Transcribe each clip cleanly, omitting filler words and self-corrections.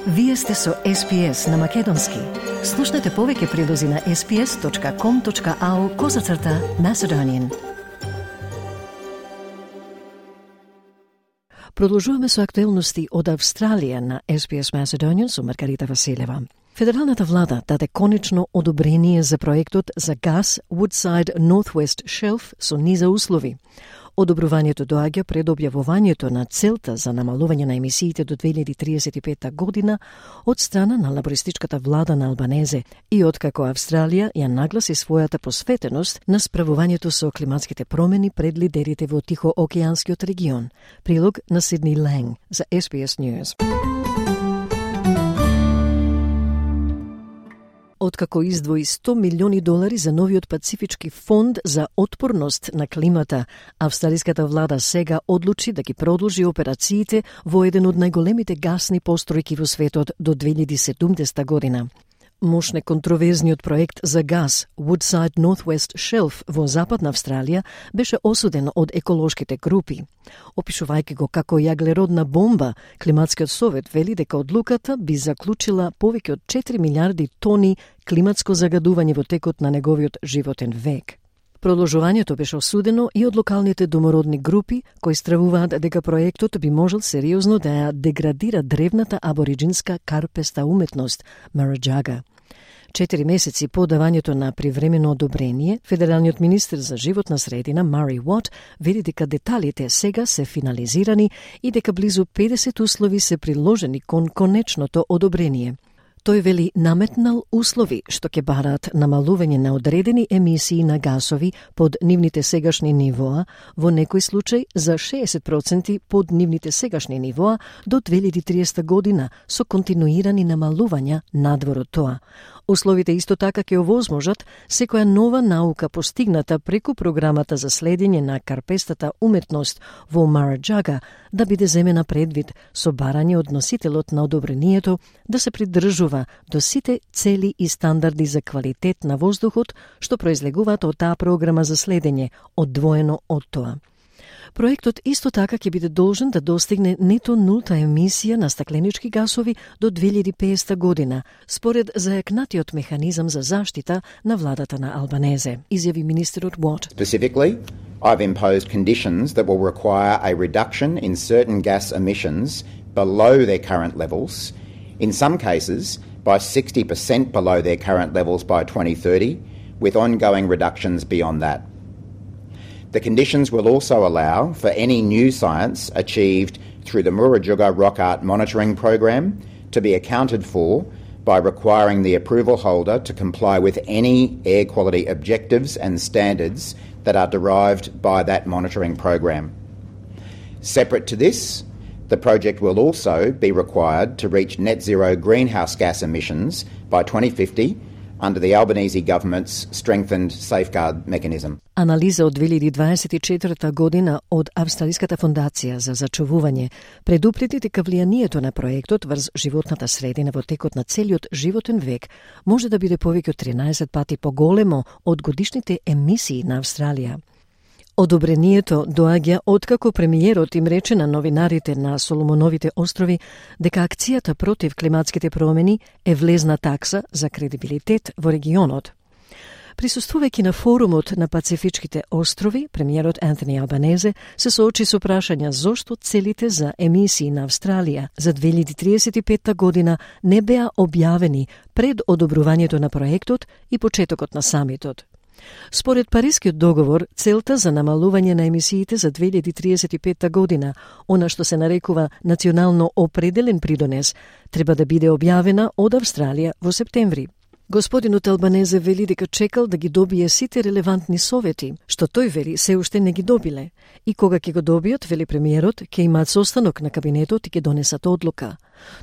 Вие сте со SPS на Македонски. Слушнете повеќе прилози на sps.com.au/Macedonian. Продолжуваме со актуелности од Австралија на SPS Macedonian со Маргарита Василева. Федералната влада даде конечно одобрение за проектот за гас Woodside Northwest Shelf со низа услови. Одобрувањето доаѓа пред објавувањето на целта за намалување на емисиите до 2035 година од страна на лабористичката влада на Албанезе и откако Австралија ја нагласи својата посветеност на справувањето со климатските промени пред лидерите во Тихоокеанскиот регион. Прилог на Сидни Ланг за SBS News. Откако издвои $100 милиони за новиот Пацифички фонд за отпорност на климата, австралиската влада сега одлучи да ги продолжи операциите во еден од најголемите гасни постројки во светот до 2070 година. Мощ неконтроверзниот проект за газ Woodside Northwest Shelf во Западна Австралија беше осуден од еколошките групи. Опишувајќи го како јаглеродна бомба, Климатскиот совет вели дека одлуката би заклучила повеќе од 4 милиарди тони климатско загадување во текот на неговиот животен век. Продолжувањето беше осудено и од локалните домородни групи, кои стравуваат дека проектот би можел сериозно да ја деградира древната абориджинска карпеста уметност, Мараџага. 4 месеци по давањето на привремено одобрение, федералниот министер за животна средина Мари Уот вели дека деталите сега се финализирани и дека близу 50 услови се приложени кон конечното одобрение. Тој вели наметнал услови што ќе бараат намалување на одредени емисии на гасови под нивните сегашни нивоа, во некој случај за 60% под нивните сегашни нивоа до 2030 година со континуирани намалувања надвор од тоа. Условите исто така ќе овозможат секоја нова наука постигната преку програмата за следење на карпестата уметност во Мараџага да биде земена предвид со барање од носителот на одобрението да се придржува до сите цели и стандарди за квалитет на воздухот што произлегуваат од таа програма за следење, одвоено од тоа. Проектот исто така ќе биде должен да достигне нето нулта емисија на стакленички гасови до 2050 година, според зајакнатиот механизам за заштита на владата на Албанезе, изјави министерот Уот. Specifically, I've imposed conditions that will require a reduction in certain gas emissions below their current levels, in some cases by 60% below their current levels by 2030, with ongoing reductions beyond that. The conditions will also allow for any new science achieved through the Murujuga Rock Art Monitoring Program to be accounted for by requiring the approval holder to comply with any air quality objectives and standards that are derived by that monitoring program. Separate to this, the project will also be required to reach net zero greenhouse gas emissions by 2050 under the Albanese government's strengthened safeguard mechanism. Анализа од 2024 година од Австралиската фондација за зачувување предупреди дека влијанието на проектот врз животната средина во текот на целиот животен век може да биде повеќе од 13 пати поголемо од годишните емисии на Австралија. Одобрението доаѓа откако премиерот им рече на новинарите на Соломоновите острови дека акцијата против климатските промени е влезна такса за кредибилитет во регионот. Присуствувајќи на форумот на Пацифичките острови, премиерот Антони Албанезе се соочи со прашања зошто целите за емисии на Австралија за 2035 година не беа објавени пред одобрувањето на проектот и почетокот на самитот. Според Парискиот договор, целта за намалување на емисиите за 2035 година, она што се нарекува национално определен придонес, треба да биде објавена од Австралија во септември. Господинот Албанезе вели дека чекал да ги добие сите релевантни совети, што тој вели се уште не ги добиле. И кога ќе го добијат, вели премиерот, ќе имаат состанок на кабинетот и ќе донесат одлука.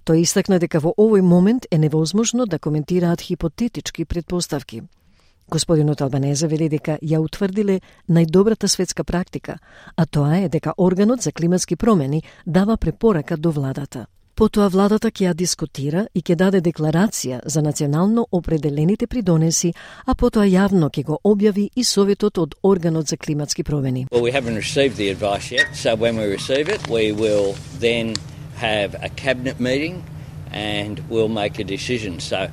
Тој истакна дека во овој момент е невозможно да коментираат хипотетички предпоставки. Господинот Албанезе вели дека ја утврдиле најдобрата светска практика, а тоа е дека органот за климатски промени дава препорака до владата. Потоа владата ќе ја дискутира и ќе даде декларација за национално определените придонеси, а потоа јавно ќе го објави и советот од органот за климатски промени. Well, we haven't received the advice yet, so when we receive it, we will then have a cabinet meeting and we'll make a decision. So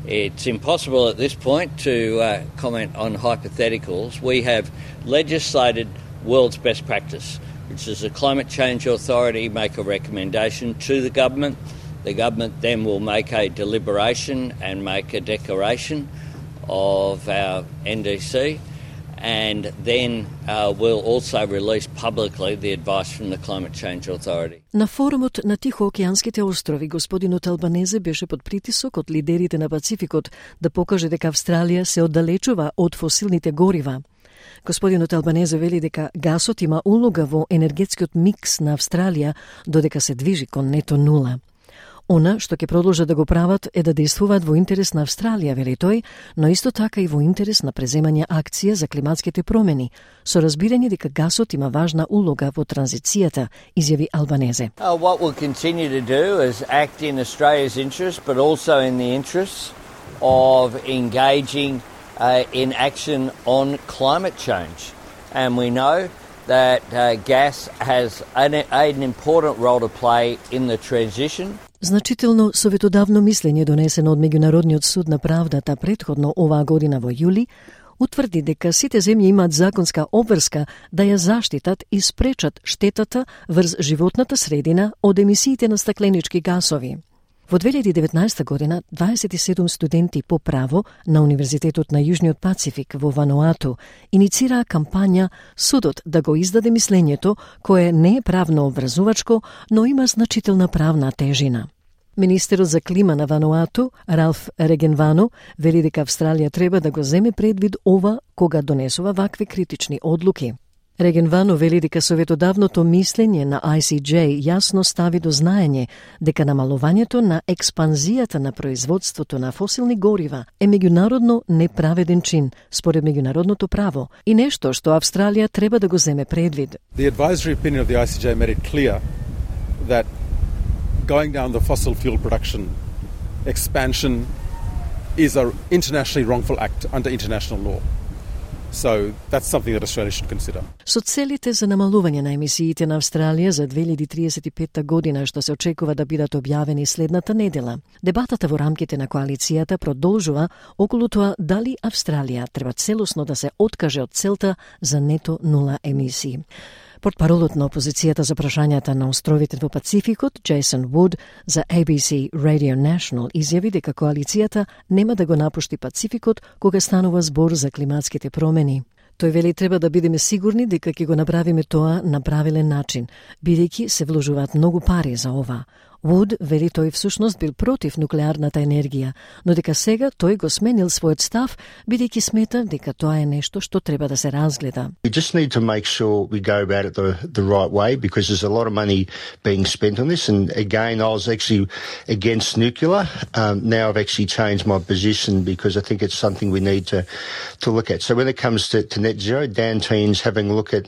it's impossible at this point to comment on hypotheticals. We have legislated world's best practice, which is the Climate Change Authority make a recommendation to the government. The government then will make a deliberation and make a declaration of our NDC, and then we'll also release publicly the advice from the Climate Change Authority. На форумот на Тихоокеанските острови господинот Албанезе беше под притисок од лидерите на Пацификот да покаже дека Австралија се оддалечува од фосилните горива. Господинот Албанезе вели дека гасот има улога во енергетскиот микс на Австралија додека се движи кон нето нула. Она што ќе продолжат да го прават е да действуваат во интерес на Австралија, вели тој, но исто така и во интерес на преземање акција за климатските промени, со разбирање дека гасот има важна улога во транзицијата, изјави Албанезе. What we'll continue to do is act in Australia's interest, but also in the interests of engaging in action on climate change. And we know that gas has an important role to play in the transition. Значително советодавно мислење донесено од Меѓународниот суд на правдата претходно оваа година во јули утврди дека сите земји имаат законска обврска да ја заштитат и спречат штетата врз животната средина од емисиите на стакленички гасови. Во 2019 година 27 студенти по право на Универзитетот на Јужниот Пацифик во Вануату иницираа кампања судот да го издаде мислењето кое не е правно обврзувачко, но има значителна правна тежина. Министерот за клима на Вануату, Ралф Регенвано, вели дека Австралија треба да го земе предвид ова кога донесува вакви критични одлуки. Регенвано вели дека советодавното мислење на ICJ јасно стави до знаење дека намалувањето на експанзијата на производството на фосилни горива е меѓународно неправеден чин според меѓународното право и нешто што Австралија треба да го земе предвид. The advisory opinion of the ICJ made it clear that going down the fossil fuel production expansion is an internationally wrongful act under international law. So that's something that Australia should consider. Со целите за намалување на емисиите на Австралија за 2035 година што се очекува да бидат објавени следната недела, дебатата во рамките на коалицијата продолжува околу тоа дали Австралија треба целосно да се откаже од целта за нето нула емисии. Портпаролот на опозицијата за прашањата на островите во Пацификот, Джейсон Вуд, за ABC Radio National изјави дека коалицијата нема да го напушти Пацификот кога станува збор за климатските промени. Тој вели треба да бидеме сигурни дека ќе го направиме тоа на правилен начин, бидејќи се вложуваат многу пари за ова. Вуд вели тој всушност бил против нуклеарната енергија, но дека сега тој го сменил својот став, бидејќи смета дека тоа е нешто што треба да се разгледа. We just need to make sure we go about it the right way because there's a lot of money being spent on this. And again, I was actually against nuclear. Now I've actually changed my position because I think it's something we need to look at. So when it comes to net zero, Dan Teen's having a look at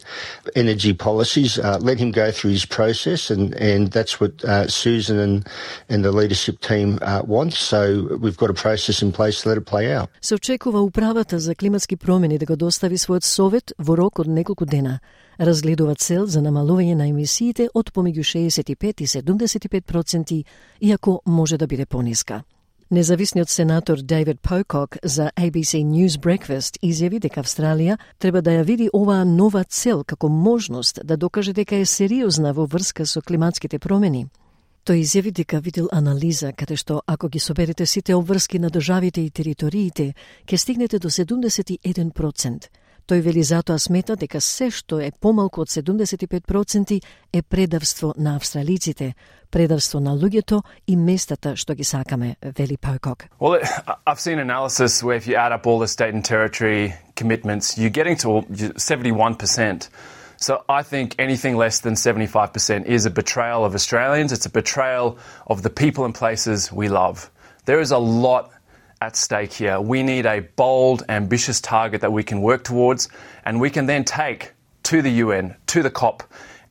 energy policies. Let him go through his process, and that's what Susan and the leadership team want. So we've got a process in place to let it play out. Се очекува управата за климатски промени да го достави својот совет во рок од неколку дена. Разгледува цел за намалување на емисиите од помеѓу 65 и 75%, иако може да биде пониска. Независниот сенатор Дейвид Покок за ABC News Breakfast изјави дека Австралија треба да ја види оваа нова цел како можност да докаже дека е сериозна во врска со климатските промени. Тој изјави дека видел анализа каде што ако ги соберете сите обврски на државите и териториите, ќе стигнете до 71%. Тој вели затоа смета дека се што е помалку од 75% е предавство на австралиците, предавство на луѓето и местата што ги сакаме, вели Покок. Well, I've seen analysis where if you add up all the state and territory commitments, you're getting to 71%. So I think anything less than 75% is a betrayal of Australians. It's a betrayal of the people and places we love. There is a lot at stake here. We need a bold, ambitious target that we can work towards, and we can then take to the UN, to the COP,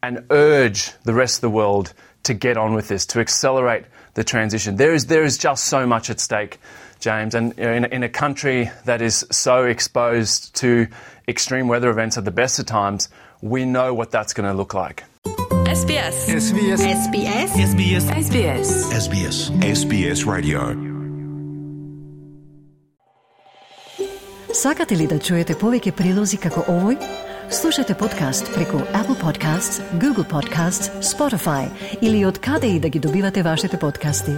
and urge the rest of the world to get on with this, to accelerate the transition. There is just so much at stake, James, and in a country that is so exposed to extreme weather events at the best of times, we know what that's going to look like. SBS. SBS. SBS. SBS. SBS. SBS. SBS Radio. Сакате ли да чуете повеќе прилози како овој? Слушате подкаст преку Apple Podcasts, Google Podcasts, Spotify или од каде и да ги добивате вашите подкасти.